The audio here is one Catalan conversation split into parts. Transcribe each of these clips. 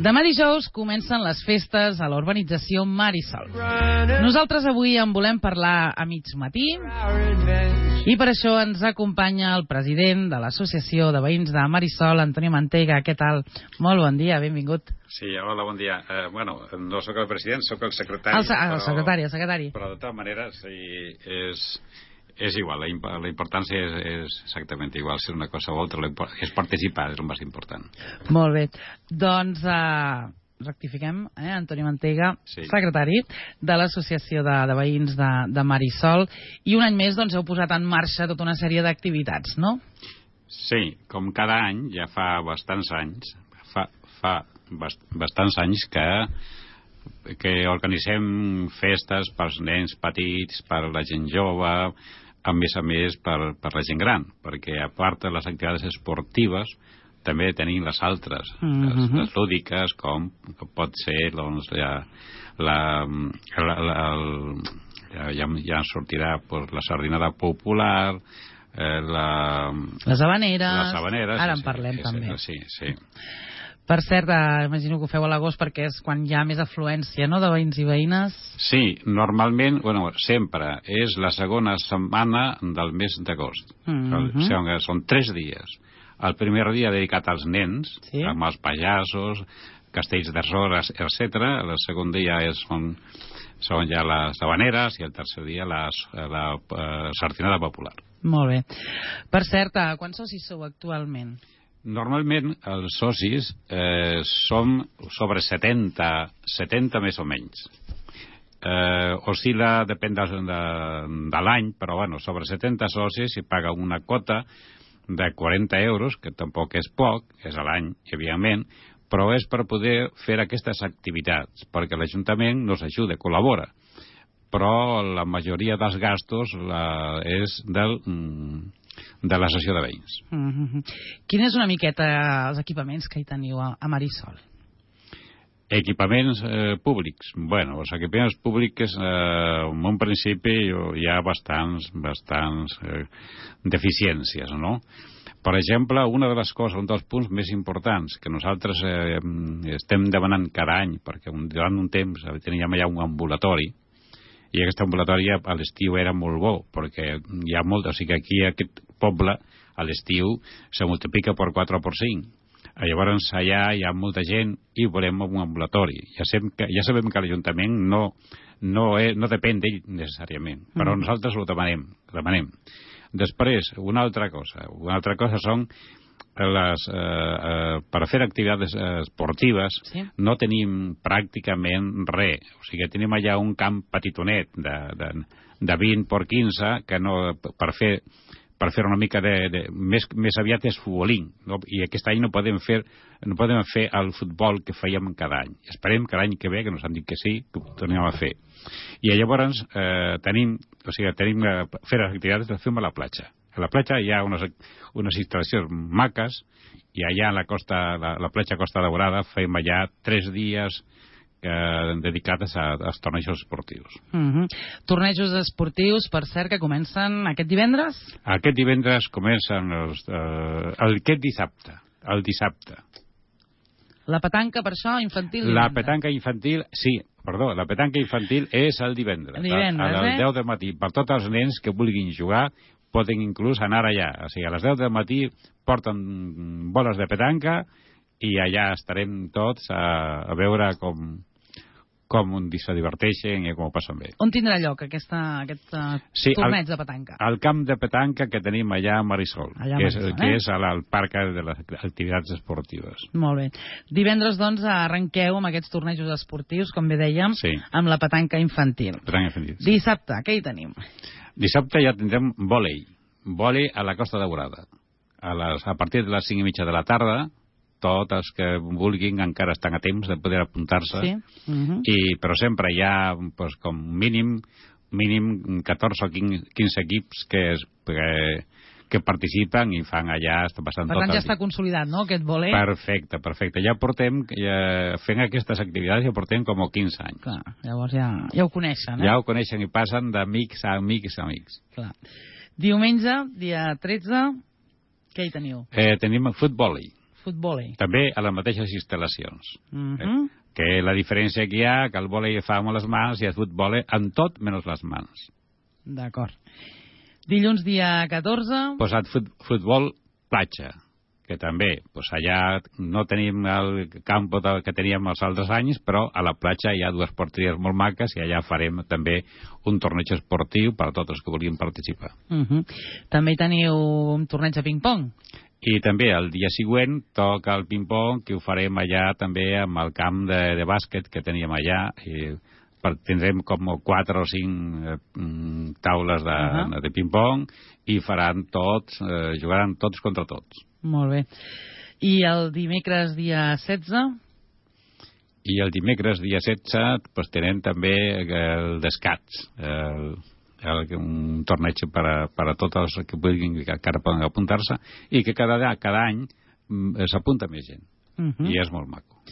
Demà dijous comencen les festes a la urbanització Marisol. Nosaltres avui en volem parlar a mig matí i per això ens acompanya el president de l'Associació de Veïns de Marisol, Antonio Manteiga. Què tal? Molt bon dia, benvingut. Sí, hola, bon dia. Bueno, no sóc el president, sóc el secretari. El secretari. Però de totes maneres és igual, la importància és exactament igual, si una cosa o altra, és participar, és el més important. Molt bé, doncs rectifiquem, Antonio Manteiga, sí, secretari de l'Associació de Veïns de Marisol, i un any més doncs heu posat en marxa tota una sèrie d'activitats, no? Sí, com cada any, ja fa bastants anys, bastants anys que organitzem festes pels nens petits, per la gent jove, a més per la gent gran, perquè a part de les activitats esportives també tenim les altres, les lúdiques, com pot ser doncs, ja sortirà la sardinada popular, les habaneres, ara en parlem també. Sí. Per cert, imagino que ho feu a l'agost perquè és quan hi ha més afluència, no?, de veïns i veïnes. Sí, normalment, sempre és la segona setmana del mes d'agost. Són 3 dies. El primer dia dedicat als nens, sí, amb els pallassos, castells de sores, etc. El segon dia són ja les habaneres i el tercer dia la sardinada popular. Molt bé. Per cert, quants socis sou actualment? Normalment els socis som sobre 70 més o menys. Oscil·la, depèn de l'any, però sobre 70 socis i paga una quota de 40 euros, que tampoc és poc, és a l'any, evidentment, però és per poder fer aquestes activitats, perquè l'Ajuntament nos ajuda, col·labora, però la majoria dels gastos és de l'associació de veïns. Quin és una miqueta els equipaments que hi teniu a Marisol? Equipaments públics. Els equipaments públics en un principi hi ha bastants deficiències, no? Per exemple, una de les coses, un dels punts més importants que nosaltres estem demanant cada any, perquè durant un temps teníem allà un ambulatori, i aquest ambulatori a l'estiu era molt bo, perquè hi ha molt, o sigui que aquí aquest poble a l'estiu se multiplica per 4 o per 5. Llavors allà hi ha molta gent i volem un ambulatori. Ja sabem que l'Ajuntament no depèn d'ell necessàriament, però nosaltres ho demanem. Després, una altra cosa són per fer activitats esportives, sí, no tenim pràcticament res. O sigui, tenim allà un camp petitonet de 20 per 15 que per fer una mica més aviat és futbolín, no? I aquest any no podem fer el futbol que fèiem cada any. Esperem que l'any que ve, que nos han dit que sí, que ho tornem a fer. I llavors tenim fer les activitats que fem a la platja. A la platja hi ha unes instal·lacions maques i allà a la platja Costa Daurada fem allà 3 dies dedicats als tornejos esportius. Tornejos esportius, per cert, que comencen aquest divendres? Aquest divendres comencen aquest dissabte. El dissabte. La petanca, per això, infantil? La petanca infantil, sí, perdó, la petanca infantil és el divendres. A les 10 del matí. Per tots els nens que vulguin jugar, poden inclús anar allà. O sigui, a les 10 del matí porten boles de petanca i allà estarem tots a veure com se diverteixen i com ho passen bé. On tindrà lloc aquest torneig de petanca? Al camp de petanca que tenim allà a Marisol, que és al parc de les activitats esportives. Molt bé. Divendres, doncs, arrenqueu amb aquests tornejos esportius, com bé dèiem, sí, amb la petanca infantil. Dissabte, què hi tenim? Dissabte ja tindrem vòlei a la Costa Daurada. A partir de les 5:30 de la tarda, tots els que vulguin encara estan a temps de poder apuntar-se, sí, però sempre hi ha com mínim 14 o 15 equips que participen i fan allà, estan passant tot el dia. Per tant, ja està consolidat, no?, aquest vòlei? Perfecte. Ja portem, fent aquestes activitats, ja portem com 15 anys. Clar, llavors ja ho coneixen, Ja ho coneixen i passen d'amics a amics a amics. Clar. Diumenge, dia 13, què hi teniu? Tenim futbol. futbol. També a les mateixes instal·lacions. Que la diferència que hi ha, que el vòlei fa amb les mans i el futbol amb tot menys les mans. D'acord. Dilluns dia 14... Posat futbol platja, que també, allà no tenim el camp que teníem els altres anys, però a la platja hi ha dues porteries molt maques i allà farem també un torneig esportiu per a tots els que vulguin participar. També teniu un torneig de ping-pong? I també el dia següent toca el ping-pong, que ho farem allà també amb el camp de bàsquet que teníem allà, i tindrem com 4 o 5 taules de ping-pong i faran tots, jugaran tots contra tots. Molt bé. I el dimecres dia 16? I el dimecres dia 16 tenen també el d'escacs, un torneig per a tots els que puguin, que encara poden apuntar-se, i que cada any s'apunta més gent. I és molt maco.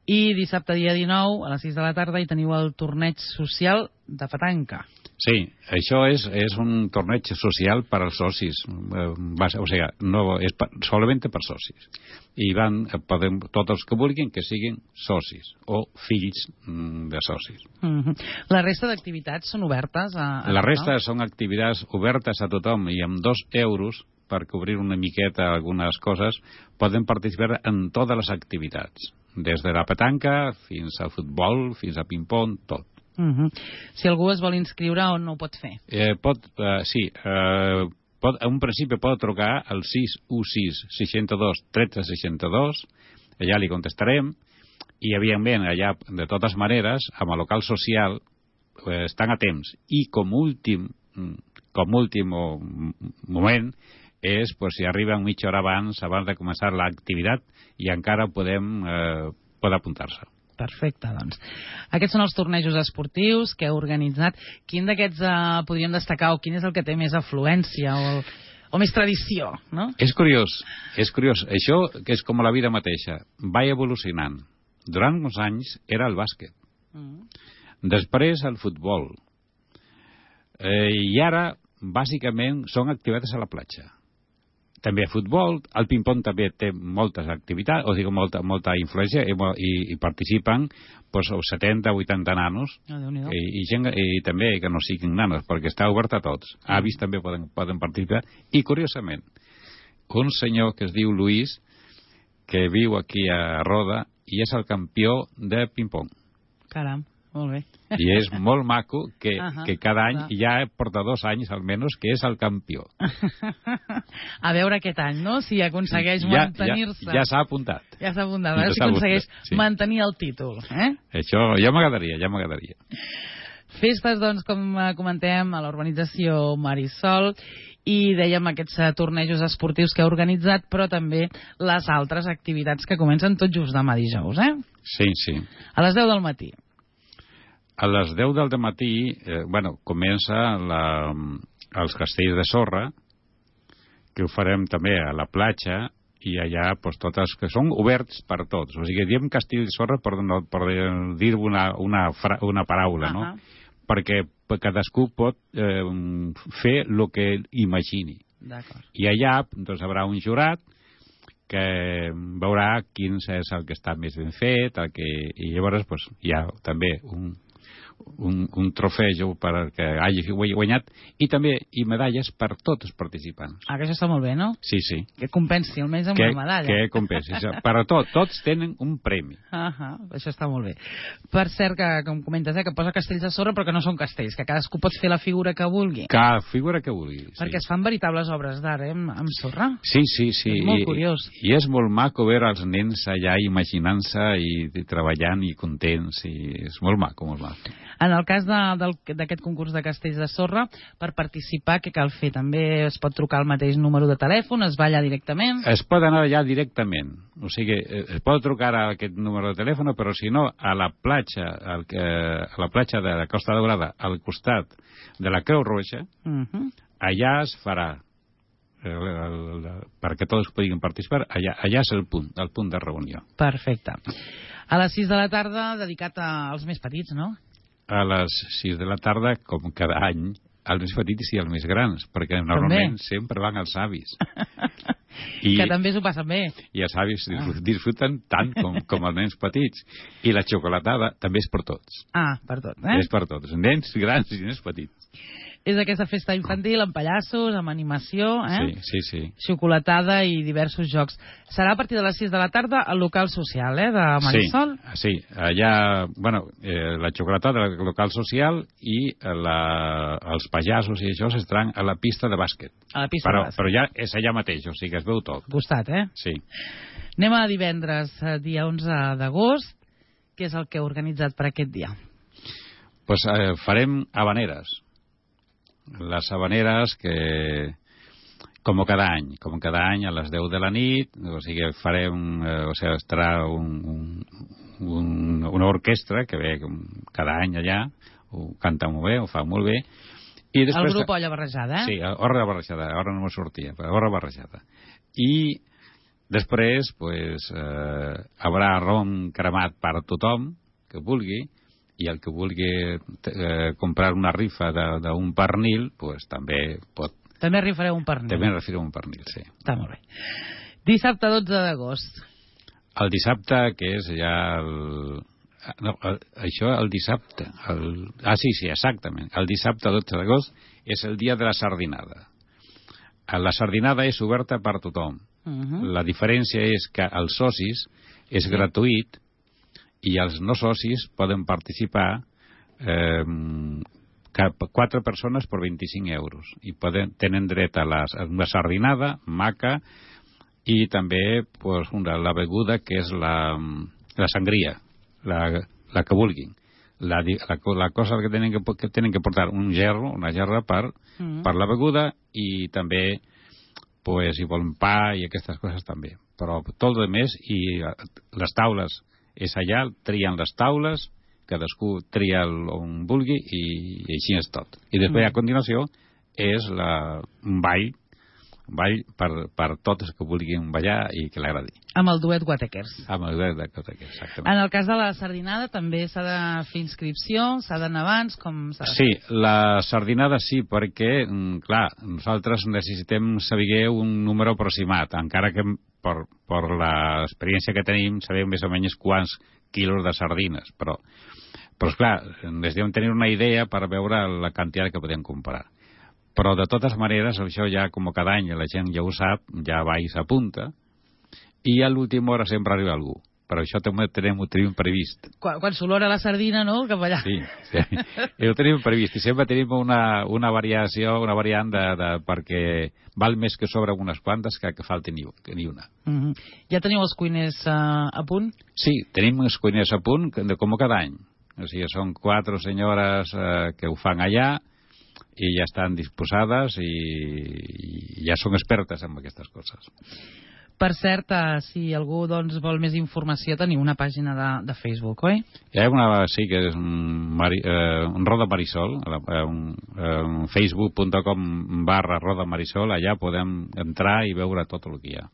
I dissabte dia 19 a les 6 de la tarda hi teniu el torneig social de petanca. Sí, això és un torneig social per als socis, o sigui, no, és solament per socis. I poden tots els que vulguin que siguin socis o fills de socis. La resta d'activitats són obertes a la resta són activitats obertes a tothom i amb 2 euros per cobrir una miqueta algunes coses poden participar en totes les activitats, des de la petanca fins al futbol, fins a ping-pong, tot. Si algú es vol inscriure, on no ho pot fer? Sí, en un principi pot trucar al 616 62 13 62, allà li contestarem, i evidentment allà, de totes maneres, amb el local social estan a temps, i com últim moment és si arriben mitja hora abans de començar l'activitat i encara pot apuntar-se. Perfecte, doncs. Aquests són els tornejos esportius que heu organitzat. Quin d'aquests podríem destacar, o quin és el que té més afluència o més tradició, no? És curiós. Això, que és com la vida mateixa, va evolucionant. Durant uns anys era el bàsquet. Després el futbol. I ara, bàsicament, són activitats a la platja. També futbol, el ping-pong també té moltes activitats, o sigui, molta influència, i participen 70 o 80 nanos, i també que no siguin nanos, perquè està obert a tots. Avis també poden participar, i curiosament, un senyor que es diu Luis, que viu aquí a Roda, i és el campió de ping-pong. Caram, molt bé. I és molt maco que cada any, ja porta 2 anys almenys, que és el campió. A veure aquest any, no? Si aconsegueix mantenir-se. Ja s'ha apuntat. Ja s'ha apuntat, a veure si aconsegueix mantenir el títol. Això ja m'agradaria. Festes, doncs, com comentem, a l'urbanització Marisol, i dèiem aquests tornejos esportius que ha organitzat, però també les altres activitats que comencen tot just demà dijous, Sí. A les 10 del matí. A les 10 del matí, comença els castells de sorra, que ho farem també a la platja, i allà totes que són oberts per tots. O sigui, diem castell de sorra per dir una paraula, no? Perquè cadascú pot fer el que imagini. I allà hi haurà un jurat que veurà quin és el que està més ben fet, i llavors hi ha també un trofeu perquè hagi guanyat, i també medalles per tots els participants. Que això està molt bé, no? Sí. Que compensi almenys amb una medalla. Que compensi. Per a tots tenen un premi. Això està molt bé. Per cert, que com comentes, que posa castells de sorra, però que no són castells, que cadascú pot fer la figura que vulgui. Cada figura que vulgui. Perquè es fan veritables obres d'art, amb sorra. Sí. És molt curiós. I és molt maco veure els nens allà imaginant-se i treballant i contents, i és molt maco, molt maco. En el cas d'aquest concurs de castells de sorra, per participar, què cal fer? També es pot trucar al mateix número de telèfon? Es va allà directament? Es pot anar allà directament. O sigui, es pot trucar a aquest número de telèfon, però si no, a la platja de la Costa Daurada, al costat de la Creu Roja, allà es farà, perquè tots puguin participar, allà és el punt de reunió. Perfecte. A les 6 de la tarda, dedicat als més petits, no? A les 6 de la tarda, com cada any, els més petits i els més grans, perquè normalment sempre van els avis. Que també s'ho passen bé. I els avis disfruten tant com els nens petits. I la xocolatada també és per tots. Per tots, eh? És per tots, nens grans i nens petits. És aquesta festa infantil amb pallassos, amb animació, Sí. Xocolatada i diversos jocs. Serà a partir de les 6 de la tarda al local social, de Marisol? Sí. Allà, la xocolatada del local social i els pallassos i això s'estaran a la pista de bàsquet. A la pista de bàsquet. Però ja és allà mateix, o sigui que es veu tot. Costat, Sí. Anem a divendres, dia 11 d'agost. Què és el que heu organitzat per aquest dia? Pues farem habaneres. Les habaneres que, com cada any a les 10 de la nit, o sigui, farem, estarà una orquestra que ve cada any allà, ho canta molt bé, ho fa molt bé. I després, el grup Olla Barrejada, Sí, Olla Barrejada, ara no me sortia, però Olla Barrejada. I després, haurà rom cremat per tothom que vulgui, i el que vulgui comprar una rifa d'un pernil, també pot... També rifareu un pernil. També rifareu un pernil, sí. Està molt bé. Dissabte 12 d'agost. El dissabte, que és ja això el dissabte... Sí, exactament. El dissabte 12 d'agost és el dia de la sardinada. La sardinada és oberta per tothom. La diferència és que els socis és gratuït i els no socis poden participar 4 persones per 25 euros i tenen dret a una sardinada maca i també la beguda que és la sangria, la que vulguin. La cosa que tenen que portar una gerra per la beguda i també si volen pa i aquestes coses també, però tot el més. I les taules és allà, trien les taules, cadascú tria on vulgui i així és tot. I després, a continuació, és un ball per tots que vulguin ballar i que l'agradi. Amb el duet Guatequers. Amb el duet Guatequers, exactament. En el cas de la sardinada també s'ha de fer inscripció, s'ha d'anar abans, com s'ha de fer? Sí, la sardinada sí, perquè, clar, nosaltres necessitem saber un número aproximat, encara que per l'experiència que tenim sabem més o menys quants quilos de sardines, però clar, necessitem tenir una idea per veure la quantitat que podem comprar. Però de totes maneres, això ja com cada any la gent ja ho sap, ja va i s'apunta, i a l'última hora sempre arriba algú. Però això també ho tenim previst. Quan s'olora la sardina, no?, cap allà. Sí, ho tenim previst. I sempre tenim una variant perquè val més que sobre unes quantes que falti ni una. Ja teniu els cuiners a punt? Sí, tenim els cuiners a punt com cada any. O sigui, són 4 senyores que ho fan allà i ja estan disposades i ja són expertes en aquestes coses. Per cert, si algú vol més informació, teniu una pàgina de Facebook, oi? Hi ha una, sí, que és un Roda Marisol, facebook.com/Roda Marisol, allà podem entrar i veure tot el que hi ha.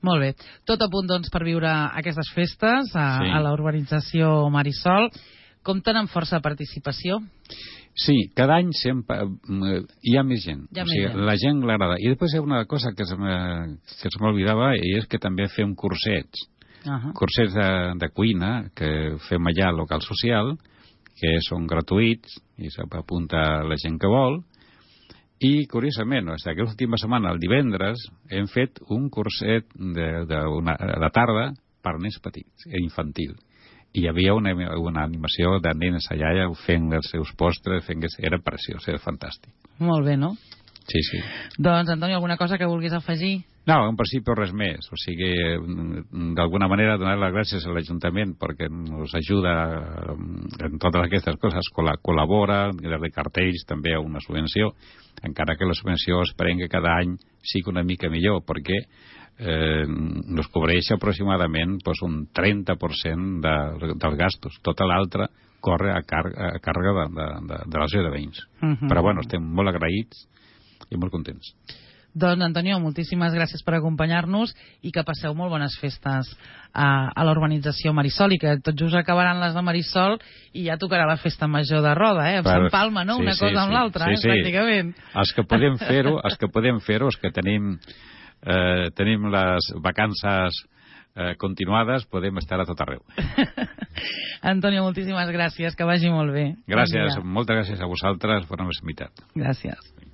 Molt bé. Tot a punt, doncs, per viure aquestes festes a la urbanització Marisol. Compten amb força participació? Sí, cada any sempre hi ha més gent. La gent l'agrada. I després hi ha una cosa que se m'oblidava, i és que també fem cursets. Cursets de cuina que fem allà al local social, que són gratuïts i s'apunta la gent que vol. I, curiosament, aquesta última setmana, el divendres, hem fet un curset de tarda per nens petits, infantil. I hi havia una animació de nenes allà fent els seus postres, era preciós, era fantàstic. Molt bé, no? Sí, sí. Doncs, Antoni, alguna cosa que vulguis afegir? No, en principi res més. O sigui, d'alguna manera donar les gràcies a l'Ajuntament perquè ens ajuda en totes aquestes coses, col·labora, de cartells, també a una subvenció, encara que la subvenció esperem que cada any sigui una mica millor, perquè nos cobreix aproximadament un 30% dels gastos. Tota l'altra corre a càrrega de l'associació de veïns. Però bueno, estem molt agraïts i molt contents. Doncs, Antonio, moltíssimes gràcies per acompanyar-nos i que passeu molt bones festes a l'urbanització Marisol, i que tot just acabaran les de Marisol i ja tocarà la festa major de Roda, s'empalma, no?, una cosa amb l'altra, pràcticament. Els que podem fer-ho, els que tenim tenim les vacances continuades, podem estar a tot arreu. Antonio, moltíssimes gràcies, que vagi molt bé. Gràcies, moltes gràcies a vosaltres per la meva. Gràcies.